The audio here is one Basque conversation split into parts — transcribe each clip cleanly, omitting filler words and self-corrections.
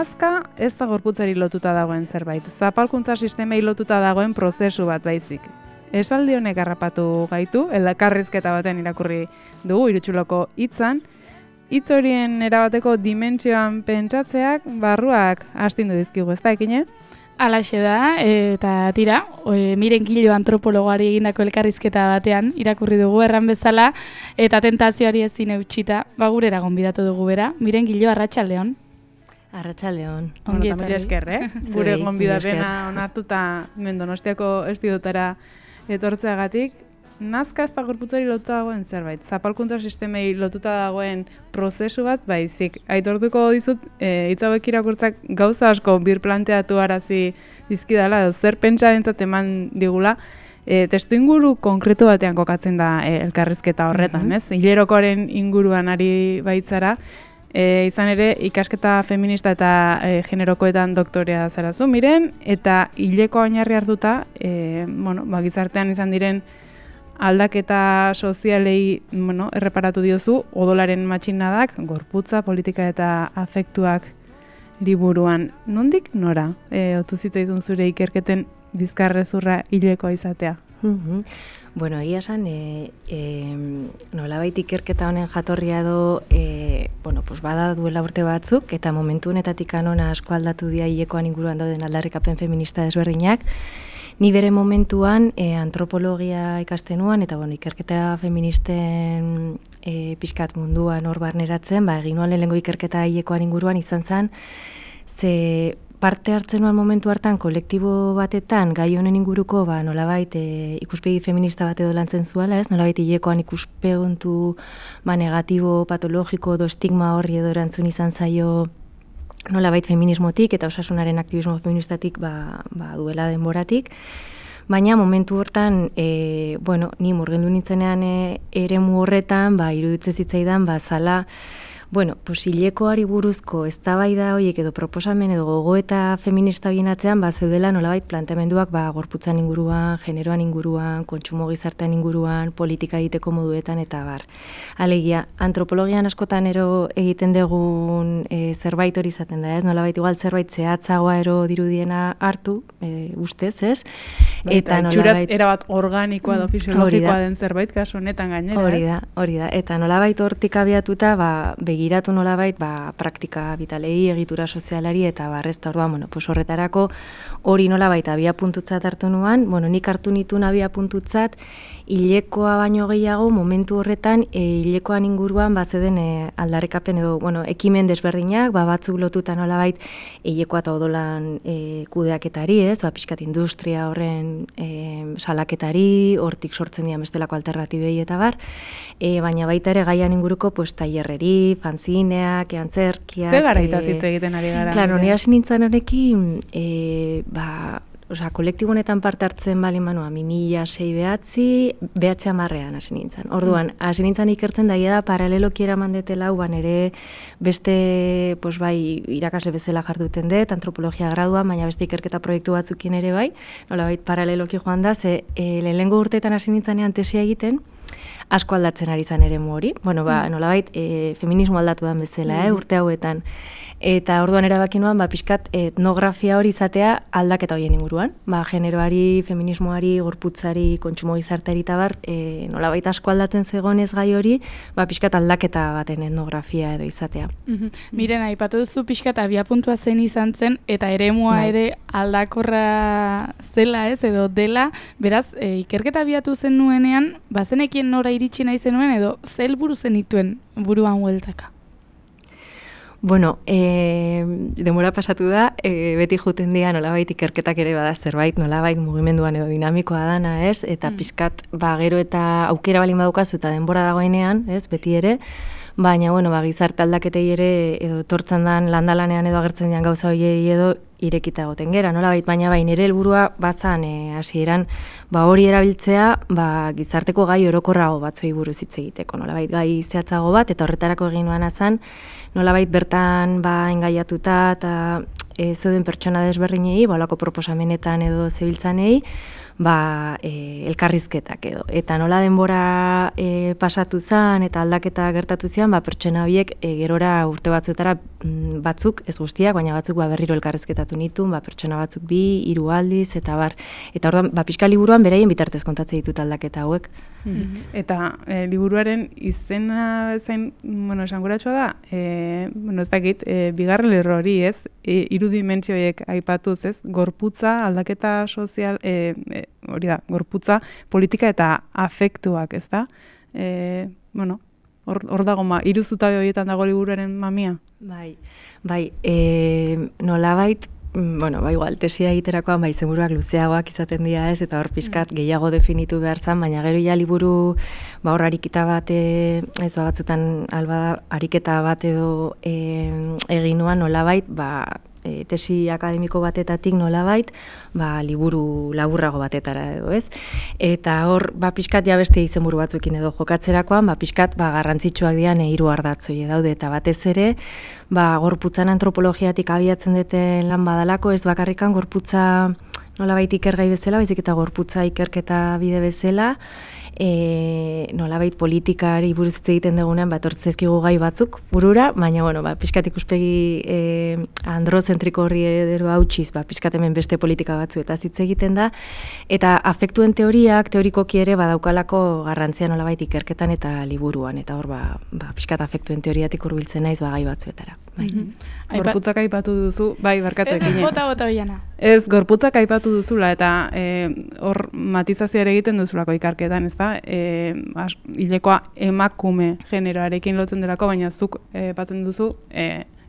Nazka ez da gorputzari lotuta dagoen zerbait, zapalkuntza sistemei lotuta dagoen prozesu bat baizik. Esaldi honek harrapatu gaitu, elkarrizketa batean irakurri dugu Irutsuloko hitzan, hitz horien erabateko dimentsioan pentsatzeak barruak astindu dizkigu, ez da ekine? Alaxe da, eta tira, Miren Gilo antropologoari egindako elkarrizketa batean irakurri dugu erran bezala, eta tentazioari ezin eutxita, gurera gonbidatu dugu bera. Miren Gilo, arratsaldeon. Arratsaldeon. Ongi etorri esker, Gure gonbidapena onartuta Donostiako estudioetara etortzeagatik. Nazka ez da gorputzari lotuta dagoen zerbait, zapalkuntza sistemei lotuta dagoen prozesu bat baizik. Aitortuko dizut, hitz hauek irakurtzak gauza asko birplanteatu arazi dizkidala, edo zer pentsarentzat eman digula, testuinguru konkretu batean kokatzen da elkarrizketa horretan, ez? Hilerokoaren inguruan ari baitzara, izan ere ikasketa feminista eta generokoetan doktorea zarazu, Miren, eta hileko oinarri hartuta, gizartean izan diren aldaketa sozialei erreparatu diozu, odolaren matxinadak, gorputza, politika eta afektuak liburuan. Nondik nora otu zitzaizun zure ikerketen bizkarrezurra hilekoa izatea? Bueno, egia esan, nolabait ikerketa honen jatorria edo, bada duela urte batzuk, eta momentu honetatik anona asko aldatu dira hilekoan inguruan dauden aldarrikapen feminista desberdinak. Ni bere momentuan antropologia ikasten nuan, eta ikerketa feministen pixkat munduan hor barneratzen, egin nuan lehenengo ikerketa hilekoan inguruan izan zen, ze parte hartzen nuan momentu hartan kolektibo batetan gai honen inguruko nolabait ikuspegi feminista bat edo lantzen zuela, ez? Nolabait hilekoan ikuspeguntu negatibo, patologiko edo estigma horri edo erantzun izan zaio nolabait feminismotik eta osasunaren aktivismo feministatik duela denboratik. Baina momentu hortan, ni murgildu nintzenean eremu horretan, iruditzen zitzaidan, zala, hilekoari buruzko eztabaida horiek edo proposamen edo gogoeta feminista horien atzean, zeudela nolabait planteamenduak gorputzan inguruan, generoan inguruan, kontsumo gizartean inguruan, politika egiteko moduetan eta bar. Alegia, antropologian askotan egiten dugun zerbait hori izaten da, ez? Nolabait igual zerbait zehatzagoa dirudiena hartu, ustez, ez? Eta itxuraz erabat organikoa edo fisiologikoa den zerbait, kasu honetan gainera, ez? Hori da, eta nolabait hortik abiatuta, begiratu nolabait, praktika vitalei, egitura sozialari, eta barrezta orduan, horretarako hori nolabait abiapuntutzat hartu nuan, nik hartu nituen abiapuntutzat, hilekoa baino gehiago, momentu horretan, hilekoan inguruan, zeden aldarrikapen edo, ekimen desberdinak, batzuk lotuta nolabait, hilekoa eta odolan kudeaketari, ez? Pixkat industria horren salaketari, hortik sortzen dira bestelako alternatibei eta bar, baina baita ere gaian inguruko tailerreri, fanzineak, antzerkiak. Ze garaitaz hitz egiten ari gara? Claro, ni hasi nintzen honekin, kolektibo honetan parte hartzen bali manua, 2006 behatzi amarrean hasi nintzen. Orduan, hasi nintzen ikertzen daia da paraleloki eraman detela, ere beste, irakasle bezala jarduten dut, antropologia graduan, baina beste ikerketa proiektu batzukin ere bai, nolabait paraleloki joan da, ze lehenengo urteetan hasi nintzenean tesia egiten, asko aldatzen ari zan eremu hori. Nolabait, feminismo aldatu den bezala, urte hauetan. Eta orduan erabaki nuan, pixkat etnografia hori izatea aldaketa horien inguruan. Generoari, feminismoari, gorputzari, kontsumo gizarteari eta bar, nolabait asko aldatzen zegoenez gai hori, pixkat aldaketa baten etnografia edo izatea. Miren, aipatu duzu pixkat abiapuntua zen izan zen, eta eremua ere aldakorra zela ez, edo dela, beraz, ikerketa abiatu zen nuenean, bazenekien nora iritsi nahi zenuen, edo ze helburu zenituen buruan hueltaka? Bueno, denbora pasatu da, beti juten dira nolabait ikerketak ere bada zerbait, nolabait mugimenduan edo dinamikoa dana, ez? Eta pixkat, gero eta aukera balin badukazu eta denbora dagoenean, ez? Beti ere, baina, gizarte aldaketei ere edo tortzen dan landalanean edo agertzen dian gauza horiei edo irekita egoten gera, nolabait, baina nire helburua bazan hasieran hori erabiltzea gizarteko gai orokorrago batzuei buruz hitz egiteko, nolabait gai zehatzago bat, eta horretarako egin nuana zan, nolabait bertan engaiatuta eta zeuden pertsona desberdinei, holako proposamenetan edo zebiltzanei, elkarrizketak edo. Eta nola denbora pasatu zen eta aldaketa gertatu zian, pertsona horiek gerora urte batzuetara batzuk, ez guztiak, baina batzuk berriro elkarrizketatu nituen, pertsona batzuk 2-3 aldiz, eta bar. Eta orduan, pixka liburuan beraien bitartez kontatzen ditut aldaketa hauek. Eta liburuaren izena zain, esanguratsua da, ez dakit, bigarren lerro hori, ez? 3 dimentsio horiek aipatuz, ez? Gorputza, aldaketa sozial, hori da, gorputza, politika eta afektuak, ez da? Hor dago, 3 zutabe horietan dago liburuaren mamia? Bai, nolabait, igual, tesia egiterakoan, izenburuak luzeagoak izaten dira ez, eta hor pixkat gehiago definitu behar zen, baina gero ja liburu, hor ariketa bat, ez batzutan ariketa bat edo egin nuan nolabait, tesi akademiko batetatik nolabait, liburu laburrago batetara edo, ez? Eta hor, pixkat ja beste izenburu batzuekin edo jokatzerakoan, pixkat garrantzitsuak dian 3 ardatzoi daude, eta batez ere, gorputzan antropologiatik abiatzen duten lan badalako, ez bakarrikan gorputza nolabait ikergai bezala, baizik eta gorputza ikerketa bide bezala, nolabait politikari buruz hitz egiten dugunean, etortzezkigu gai batzuk burura, baina, pixkat ikuspegi androzentriko horri edo hautsiz, pixkat hemen beste politika batzu eta hitz egiten da, eta afektuen teoriak, teorikoki ere badaukalako garrantzia nolabait ikerketan eta liburuan, eta hor, pixkat afektuen teoriatik hurbiltzen naiz gai batzuetara. Gorputzak aipatu duzu, barkatu ekin. Ez bota Oiana. Ez, gorputzak aipatu duzula, eta hor matizazioa ere egiten duzulako ikarketan, ez da? Hilekoa emakume generoarekin lotzen delako, baina zuk batzen duzu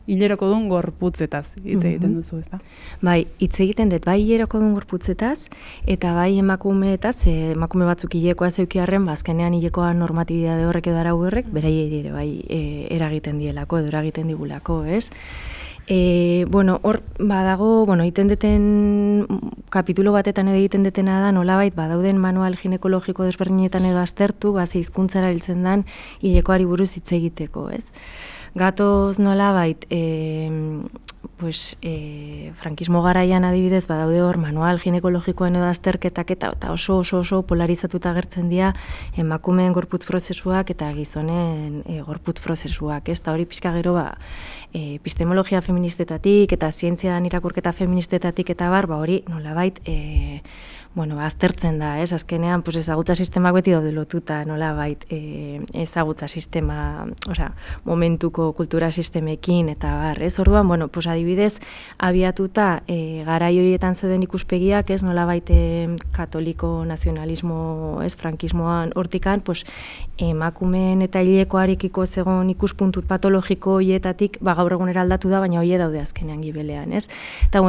hileroko duen gorputzetaz hitz egiten duzu, ez da? Bai, hitz egiten dut, hileroko duen gorputzetaz, eta emakumeetaz, emakume batzuk hilekoa zeukiarren, azkenean hilekoa normatibidade horrek edo arau horrek, beraiei ere eragiten dielako edo eragiten digulako, ez? Hor badago, egiten deten kapitulo batetan edo egiten detena da, nolabait badauden manual ginekologiko desberdinetan edo aztertu, hizkuntzara hiltzen dan hilekoari buruz hitz egiteko, ez? Gatoz nolabait, frankismo garaian adibidez, badaude hor manual ginekologikoen edo azterketak eta oso polarizatuta agertzen dira emakumeen gorputz prozesuak eta gizonen gorputz prozesuak, ez? Eta hori pixka gero epistemologia feministetatik eta zientzian irakurketa feministetatik eta hori nolabait aztertzen da, ez? Azkenean, ezagutza sistemak beti daude lotuta, nolabait, ezagutza sistema, momentuko kultura sistemekin, eta ez? Orduan, adibidez, abiatuta garai horietan zeuden ikuspegiak, ez? Nolabait, katoliko nazionalismo, ez? Frankismoan hortikan, emakumeen eta hilekoarekiko zegoen ikuspuntu patologiko horietatik, gaur egunera aldatu da, baina hori daude azkenean gibelean, ez? Eta,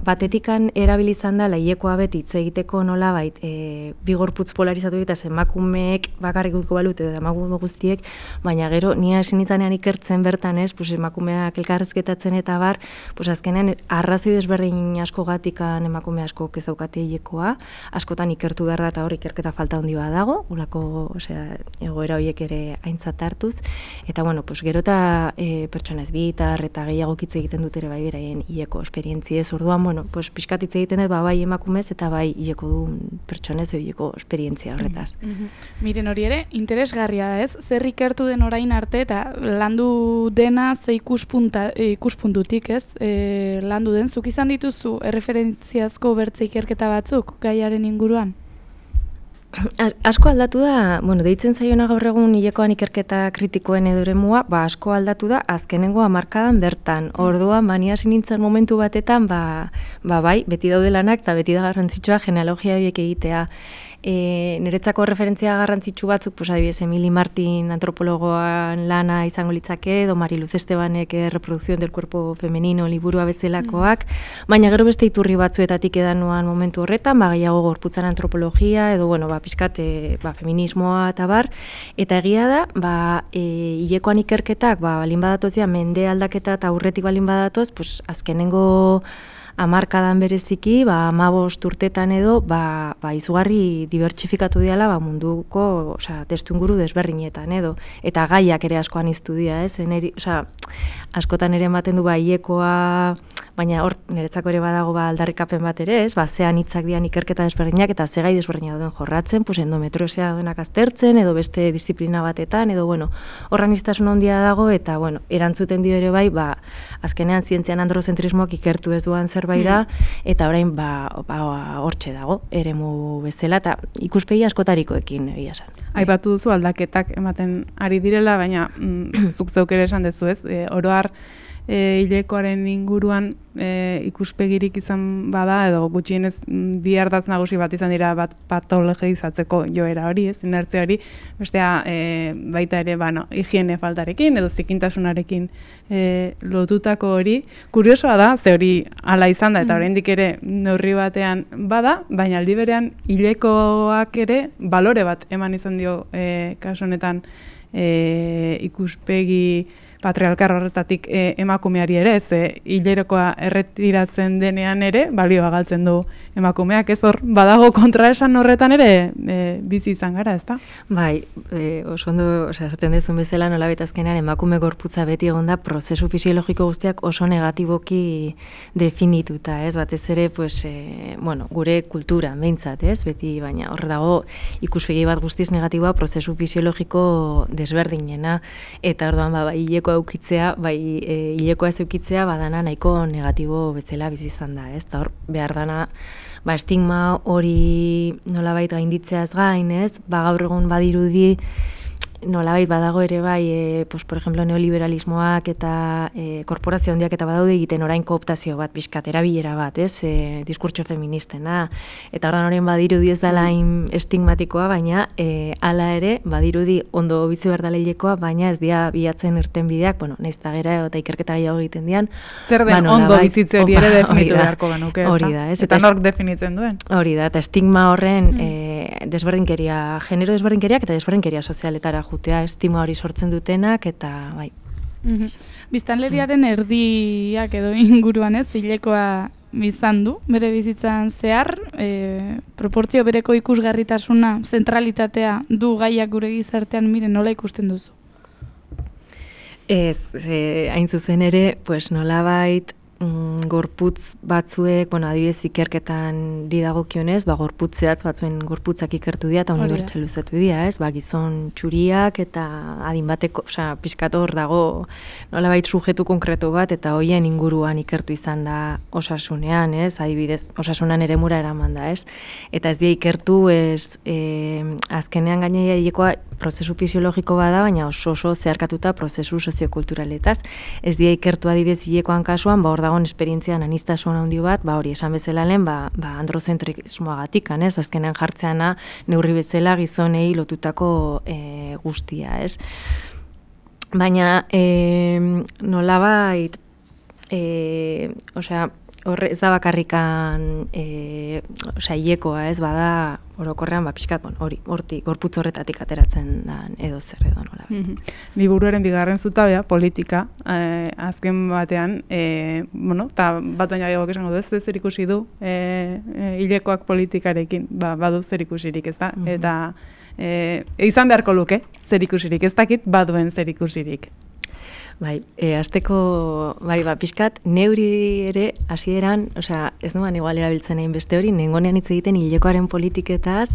batetikan erabilizan da, hilekoa beti hitz egiteko nolabait, bi gorputz polarizatu eta emakumeek bakarrik uko balut edo emakume guztiek, baina gero ni hasi nintzanean ikertzen bertan, ez, emakumeak elkarrizketatzen eta azkenean arrazoi desberdin askogatikan emakume askok ez daukate hilekoa, askotan ikertu behar da eta hor ikerketa falta handi badago, ulako, egoera horiek ere aintzat hartuz, eta gero eta pertsona ez bitar eta gehiago hitz egiten dut ere beraien hileko esperientziez, orduan, pixkat hitz egiten dut bai emakumez eta bai hileko duen pertsonez edo esperientzia horretaz. Miren hori ere, interesgarria da ez, zer ikertu den orain arte eta landu dena ze ikuspuntutik ez, landu den, zuk izan dituzu erreferentziazko bertze ikerketa batzuk gaiaren inguruan? Asko aldatu da, deitzen zaiona gaur egun hilekoan ikerketa kritikoen edo eremua, asko aldatu da azkenengo hamarkadan bertan. Orduan, ni hasi nintzen momentu batetan, bai, beti daude lanak eta beti da garrantzitsua genealogia horiek egitea. Niretzako referentzia garrantzitsu batzuk, adibidez, Emily Martin antropologoan lana izango litzake, edo Mariluz Estebanek reprodukzioen del cuerpo femenino liburua bezalakoak, baina gero beste iturri batzuetatik edan nuan momentu horretan, gehiago gorputzan antropologia, edo, pixkat, feminismoa eta eta egia da, hilekoan ikerketak, balin badatozia, mende aldaketa eta aurretik balin badatoz, azkenengo hamarkadan bereziki, 15 urtetan edo, izugarri dibertsifikatu diala munduko testu inguru desberdinetan edo, eta gaiak ere askoan iztu dira, ez? Askotan ere ematen du hilekoa baina hor niretzako ere badago aldarrikapen bat ere, ez? Zean hitzak dian ikerketa desberdinak eta ze gai desberdinak duen jorratzen, pues endometriosia duenak aztertzen edo beste disiplina batetan edo hor aniztasun handia dago eta erantzuten dio ere bai, azkenean zientzian androzentrismoak ikertu ez duan zerbait da eta orain hortxe dago eremu bezala eta ikuspegi askotarikoekin egia esan. Aipatu duzu aldaketak ematen ari direla, baina zuk zeuk ere esan dezu, ez? Oro har hilekoaren inguruan ikuspegirik izan bada edo gutxienez bi ardatz nagusi bat izan dira bat patologizatzeko joera hori, ez? Inertzia hori, bestea baita ere higiene faltarekin edo zikintasunarekin lotutako hori. Kuriosoa da, ze hori hala izan da eta oraindik ere neurri batean bada, baina aldi berean hilekoak ere balore bat eman izan dio kasu honetan ikuspegi patriarkar horretatik emakumeari ere, ze hilerokoa erretiratzen denean ere, balioa galtzen du emakumeak, ez hor, badago kontraesan horretan ere bizi izan gara, ezta? Bai, oso ondo, esaten dezun bezala nolabait azkenean emakume gorputza beti egon da prozesu fisiologiko guztiak oso negatiboki definituta, ez? Batez ere, gure kultura, behintzat, ez? Beti, baina hor dago ikuspegi bat guztiz negatiboa prozesu fisiologiko desberdinena, eta orduan hileko aukitzea, hilekoa ez eukitzea, badana nahiko negatibo bezala bizi izan da, ez? Eta hor, behar dana, estigma hori nolabait gainditzeaz gain, ez? Gaur egun badirudi nolabait badago ere bai, por ejemplo, neoliberalismoak eta korporazio handiak eta badaude egiten orain kooptazio bat, pixkat, erabilera bat, ez? Diskurtso feministena. Eta ordan horien badirudi ez dela estigmatikoa, baina hala ere, badirudi ondo bizi behar dela hilekoa, baina ez dira bilatzen irten bideak, nahiz eta gera eta ikerketa gehiago egiten dian. Zer den ondo bizitze hori ere definitu beharko genuke, ez da? Hori da, ez? Eta nork definitzen duen? Hori da, eta estigma horren desberdinkeria, genero desberdinkeriak eta desberdinkeria sozialetara jutea, estima hori sortzen dutenak, eta bai. Biztanleriaren erdiak edo inguruan ez, hilekoa biztan du, bere bizitzan zehar, proportzio bereko ikusgarritasuna, zentralitatea du gaiak gure gizartean, nola ikusten duzu? Ez, hain zuzen ere, nolabait, gorputz batzuek, adibidez ikerketan dagokionez, gorputz zehatz batzuen gorputzak ikertu dira eta unibertsalizatu dira, ez? Gizon txuriak eta adin bateko, pixkat hor dago nolabait sujetu konkretu bat eta hoien inguruan ikertu izan da osasunean, ez? Adibidez, osasunan eremura eraman da, ez? Eta ez dira ikertu, azkenean gainera hilekoa prozesu fisiologiko bada, baina oso zeharkatuta prozesu soziokulturaletaz. Ez dira ikertu adibidez hilekoan kasuan, hor dagoen esperientzian anistasun handi bat, hori esan bezala lehen, androzentrismoagatik, ez? Azkenean jartzeana neurri bezala gizonei lotutako guztia, ez? Baina nolabait, horre ez da bakarrikan hilekoa, ez? Bada orokorrean, pixkat, hortik, gorputz horretatik ateratzen da edo zer edo nola. Liburuaren bigarren zutabea, politika, azken batean, eta bat baina gehiago esango du, ez zer ikusi du hilekoak politikarekin, badu zer ikusirik, ez da? Eta izan beharko luke zer ikusirik, ez dakit baduen zer ikusirik. Azteko, pixkat, neuri ere, hasieran, ez nuan igual erabiltzen egin beste hori, nengonean hitz egiten hilekoaren politiketaz,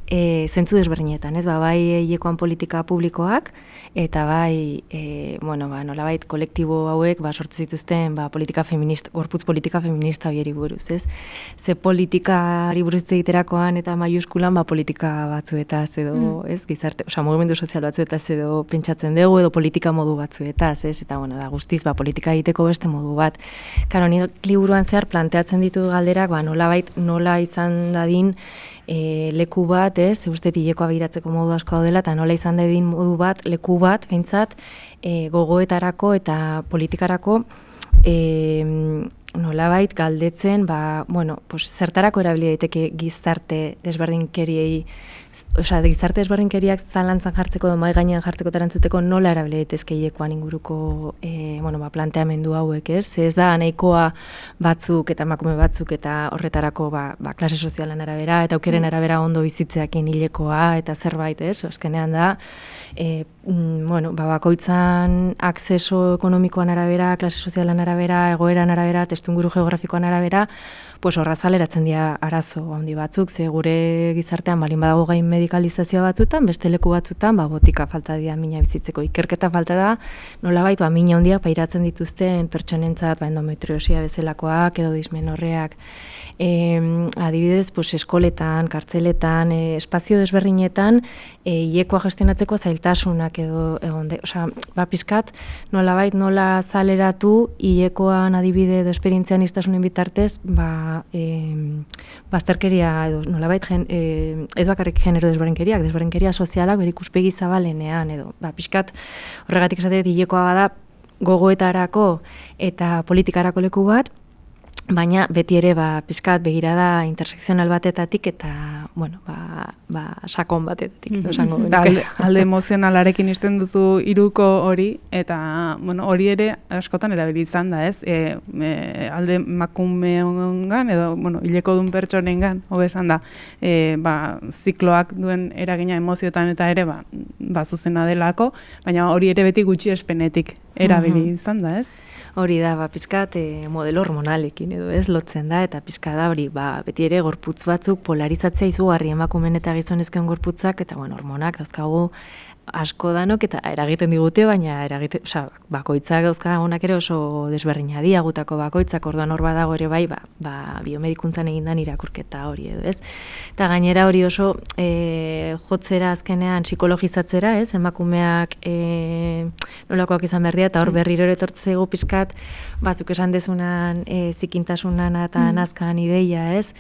zentzu desberdinetan, ez? Bai hilekoan politika publikoak, eta bai, nolabait kolektibo hauek, sortzen zituzten, politika feminista, gorputz politika feminista bieri buruz, ez? Ze politikari buruz egiterakoan eta maiuskulan, politika batzuetaz edo, ez? Gizarte, mugimendu sozial batzuetaz edo pentsatzen dugu, edo politika modu batzuetaz, ez? Eta, da guztiz, politika egiteko beste modu bat. Karo, nik liburuan zehar planteatzen ditu galderak, nolabait, nola izan dadin, leku bat, ez, uste hilekoa begiratzeko modu asko daudela, eta nola izan dadin modu bat, leku bat, behintzat, gogoetarako eta politikarako nolabait galdetzen, zertarako erabili daiteke gizarte desberdinkeriei osea, gizarte ezberdinkeriak zalantzan jartzeko edo mahai gainean jartzeko eta erantzuteko nola erabili daitezke hilekoan inguruko planteamendu hauek, ez? Ez da nahikoa batzuk eta emakume batzuk eta horretarako klase sozialan arabera eta aukeren arabera ondo bizitzeakin hilekoa eta zerbait, ez? Azkenean da bakoitzan akzeso ekonomikoan arabera, klase sozialan arabera, egoeran arabera, testuinguru geografikoan arabera, horra zaleratzen dira arazo handi batzuk, ze gure gizartean balin badago gain medikalizazioa batzutan, beste leku batzutan, botika falta dira mina bizitzeko. Ikerketa falta da, nolabait, mina handiak pairatzen dituzten pertsonentzat, endometriosia bezalakoak edo dismenorreak. Adibidez, eskoletan, kartzeletan, espazio desberdinetan, hilekoa gestionatzeko zailtasunak edo pizkat, nolabait, nola zaleratu hilekoan adibide edo esperientzian iztasunen bitartez, bazterkeria edo nolabait ez bakarrik genero desberdinkeria sozialak bere ikuspegi zabalenean edo pixkat horregatik esatea hilekoa bada gogoetarako eta politikarako leku bat, baina beti ere pixkat begirada intersekzional batetatik eta sakon batetatik esango genuke. Alde emozionalarekin izten duzu hiruko hori eta hori ere askotan erabili izan da, ez? Alde emakumeongan edo hilekodun pertsonengan hobe esan da, zikloak duen eragina emozioetan eta ere zuzena delako, baina hori ere beti gutxiespenetik erabili izan da, ez? Hori da, pizkat modelo hormonalekin edo ez lotzen da, eta pizka da hori, beti ere gorputz batzuk polarizatzea izugarri emakumen eta gizonezkoen gorputzak, eta hormonak dauzkagu asko danok eta eragiten digute, baina bakoitzak dauzka honak ere oso desberdina gutako bakoitzak, orduan hor badago ere biomedikuntzan egindan irakurketa hori edo, ez? Eta gainera hori oso jotzera azkenean psikologizatzera, ez? Emakumeak nolakoak izan behar dira, eta hor berriro etortzegu pizkat, batzuk esan dezunan zikintasunan eta nazkan ideia, ez?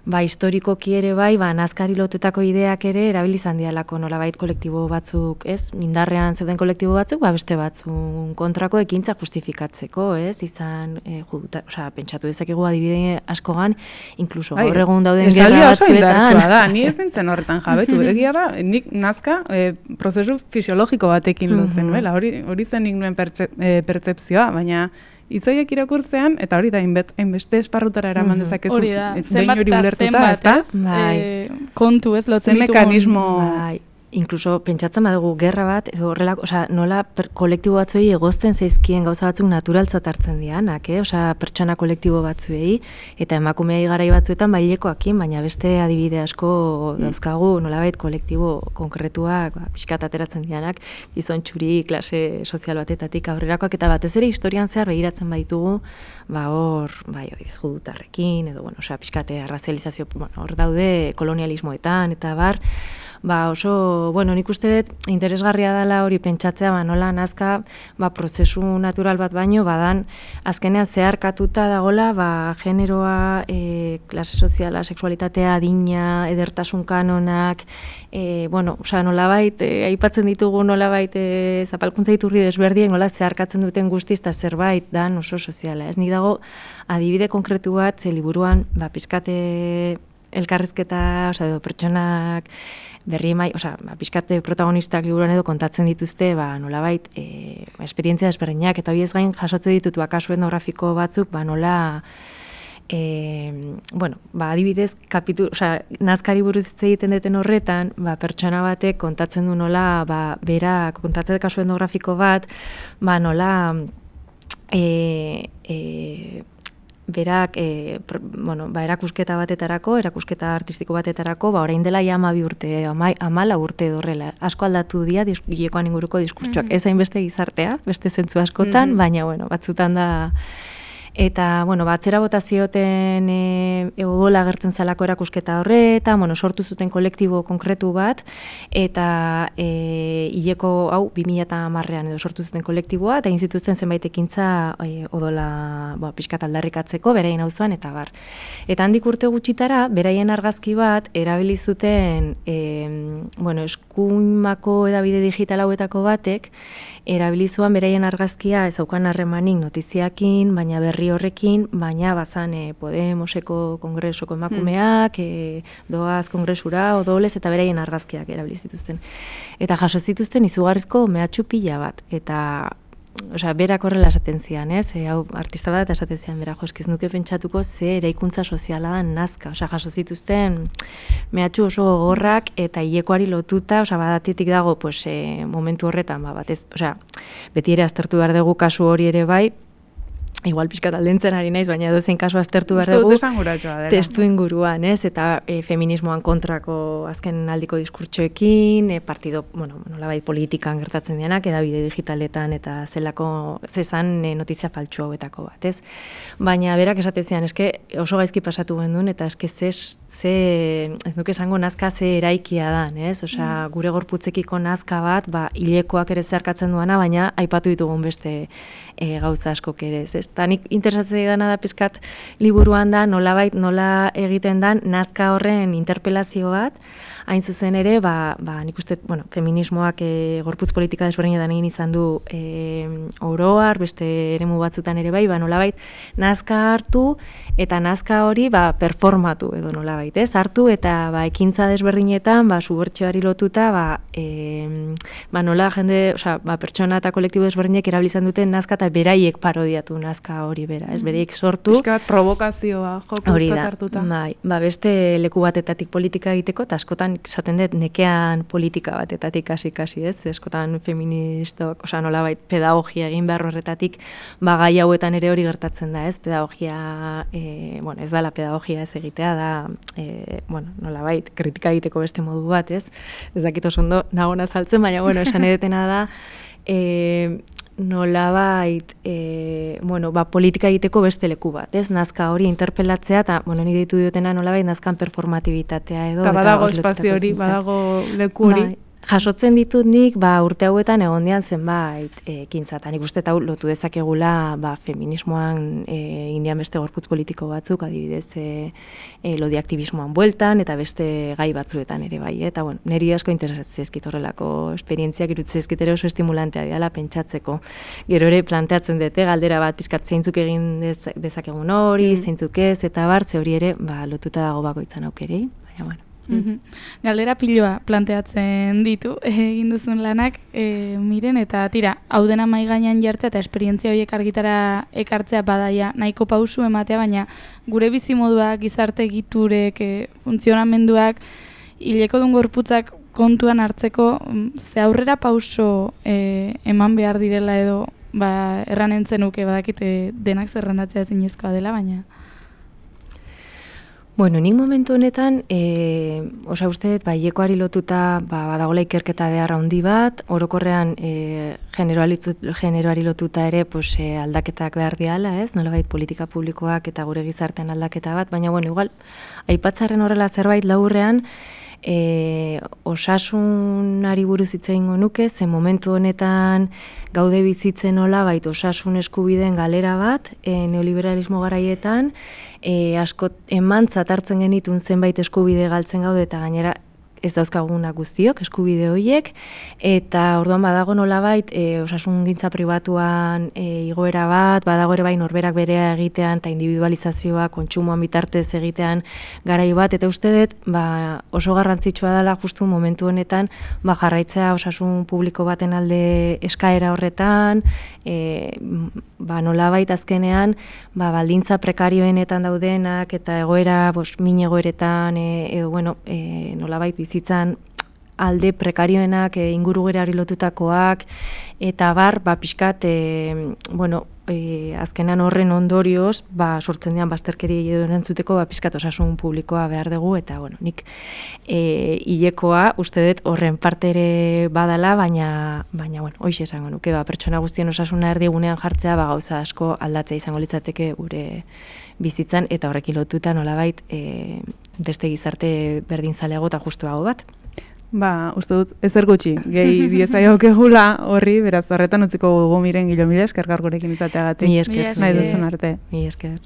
Historikoki ere nazkari lotutako ideak ere erabilizan dialako nolabait kolektibo batzuk, ez? Indarrean zeuden kolektibo batzuk, beste batzuk kontrako ekintza justifikatzeko, ez? Izan, pentsatu dezakegu adibide askogan, inkluso gaur egun dauden gerra batzuetan. Da, ni ez zintzen horretan jabetu. Egia da, nik nazka prozesu fisiologiko batekin lotzen, nuela. Hori zen nik nuen pertzepzioa, baina hitzoiek irakurtzean, eta hori da, hainbeste esparrutara eraman dezakezu. Hori da, zenbat eta zenbat, ez? Kontu ez lotzen ditugun. Mekanismo... Inkluso pentsatzen badugu gerra bat, edo horrelako, nola kolektibo batzuei egozten zaizkien gauza batzuk naturaltzat hartzen dianak, pertsona kolektibo batzuei, eta emakumeei garai batzuetan bailekoakin, baina beste adibide asko dauzkagu nolabait kolektibo konkretuak, pixkat ateratzen dianak, gizon txuri, klase sozial batetatik aurrerakoak, eta batez ere historian zehar begiratzen baitugu, judutarrekin, edo, pixkate arrazializazio, hor daude kolonialismoetan, eta oso, nik uste dut interesgarria dela hori pentsatzea, nola nazka prozesu natural bat baino, badan azkenean zeharkatuta dagola, generoa, klase soziala, sexualitatea, adina, edertasun kanonak, nolabait, aipatzen ditugu nolabait zapalkuntza iturri desberdien, nola zeharkatzen duten guztiz, eta zerbait dan oso soziala. Ez nik dago adibide konkretu bat, liburuan, pizkate elkarrizketa, edo pertsonak berri pizkate protagonistak liburuan edo kontatzen dituzte, nolabait, esperientzia desberdinak, eta hori ez gain jasotzen ditut kasu etnografiko batzuk, nola, adibidez, nazkari buruz hitz egiten duten horretan, pertsona batek kontatzen du nola, bera, kontatzen kasu etnografiko bat, nola, berak erakusketa batetarako, erakusketa artistiko batetarako, orain dela 12 urte, 14 urte horrela. Asko aldatu dira hilekoan inguruko diskurtsoak. Ez hainbeste gizartea, beste zentzu askotan, baina batzutan da. Eta, atzera bota zioten odola agertzen zalako erakusketa horretan, sortu zuten kolektibo konkretu bat, eta hileko, 2010an edo sortu zuten kolektiboa, eta egin zituzten zenbait ekintza odola pixkat aldarrikatzeko, beraien auzoan, eta bar. Eta handik urte gutxitara, beraien argazki bat, erabili zuten eskuinmako edabide digital hauetako batek, erabilizuan beraien argazkia ezaukan harremanik notiziakin, baina berri herri horrekin, baina bazan Podemoseko kongresoko emakumeak, doaz kongresura, odolez, eta beraien argazkiak erabili zituzten. Eta jaso zituzten izugarrizko mehatxu pila bat, eta berak horrela esaten zian, hau artista bat esaten zian, bera, ez nuke pentsatuko ze eraikuntza soziala da nazka, jaso zituzten mehatxu oso gogorrak eta hilekoari lotuta, badatetik dago momentu horretan, batez, beti ere aztertu behar dugu kasu hori ere bai, igual pixkat aldentzen ari naiz, baina edozein kasu aztertu behar dugu testu inguruan, eta feminismoan kontrako azken aldiko diskurtsoekin, partido, nolabait politikan gertatzen dianak, edabide digitaletan eta zezan notizia faltsu hauetako bat, ez? Baina berak esaten zian, oso gaizki pasatu gendun, eta ez nuke esango nazka ze eraikia dan, ez? Gure gorputzekiko nazka bat, hilekoak ere zeharkatzen duana, baina aipatu ditugun beste gauza askok ere, ez? Eta nik interesatzen dana da pizkat liburuan da nolabait nola egiten dan nazka horren interpelazio bat, hain zuzen ere, nik uste, feminismoak gorputz politika desberdinetan egin izan du oroar, beste eremu batzutan ere bai, nolabait nazka hartu eta nazka hori performatu edo nolabait, ez? Hartu eta ekintza desberdinetan, subertsioari lotuta, nola jende, pertsona eta kolektibo desberdinek erabilizan duten nazka eta beraiek parodiatu nazka hori bera, ez? Beraiek sortu. Piskat provokazioa jokutzat hartuta. Beste leku batetatik politika egiteko, eta askotan esaten dut nekean politika batetatik kasi, ez? Askotan feministok, nolabait pedagogia egin behar horretatik, gai hauetan ere hori gertatzen da, ez? Pedagogia, ez da la pedagogia ez egitea, da, nolabait kritika egiteko beste modu bat, ez? Ez dakit oso ondo nagona saltzen, baina, esan edetena da, nolabait, politika egiteko beste leku bat, ez? Nazka hori interpelatzea, eta, ni ditu diotena nolabait nazkan performatibitatea edo. Eta badago espazio hori, badago leku hori. Jasotzen ditut nik, urte hauetan egon dian zenbait ekintza, eta nik uste eta lotu dezakegula feminismoan indian beste gorputz politiko batzuk, adibidez lodi aktivismoan bueltan, eta beste gai batzuetan ere bai, eta niri asko interesatzen ezkit horrelako esperientziak, irutzen ezkit ere oso estimulantea diala pentsatzeko. Gero ere planteatzen dute, galdera bat pizkat zeintzuk egin dezakegun hori, zeintzuk ez, eta ze hori ere lotuta dago bakoitzan aukerei, baina Galdera piloa planteatzen ditu egin duzun lanak, miren, eta tira, hau dena mahai gainean jartzea eta esperientzia horiek argitara ekartzea badaia nahiko pausu ematea, baina gure bizimoduak, gizarte egiturek, funtzionamenduak, hilekodun gorputzak kontuan hartzeko ze aurrera pauso eman behar direla edo erran entzenuke badakite denak zerrendatzea zinezkoa dela, baina... Nik momentu honetan, uste dut, hilekoari lotuta badagoela ikerketa beharra handi bat, orokorrean generoari lotuta ere aldaketak behar diala, ez? Nolabait politika publikoak eta gure gizartean aldaketa bat, baina, igual, aipatzarren horrela zerbait laburrean, osasunari buruz hitz egingo nuke, ze momentu honetan gaude bizitzen nolabait osasun eskubideen galera bat, neoliberalismo garaietan, asko emantzat hartzen genitun zenbait eskubide galtzen gaude eta gainera ez dauzkagunak guztiok, eskubide horiek, eta orduan badago nolabait osasungintza pribatuan igoera bat, badago ere bai norberak berea egitean eta individualizazioa kontsumoan bitartez egitean garai bat, eta uste dut oso garrantzitsua dela justu momentu honetan jarraitzea osasun publiko baten alde eskaera horretan, nolabait azkenean baldintza prekarioenetan daudenak eta egoera min egoeretan edo nolabait bizitzan alde prekarioenak ingurugerari lotutakoak eta pixkat azkenan horren ondorioz sortzen dian bazterkeri edo erantzuteko pixkat osasun publikoa behar dugu eta nik hilekoa uste dut horren parte ere badala, baina hoxe esango nuke pertsona guztien osasuna erdigunean jartzea gauza asko aldatzea izango litzateke gure bizitzan eta horrekin lotuta nolabait beste gizarte berdinzaleago eta justuago bat. Uste dut, ezer gutxi, gehi biezaiok egula horri, beraz horretan utziko gugu miren Gilomide, eskergar gurekin izateagatik. Mi esker. Nahi duzun arte. Mi esker.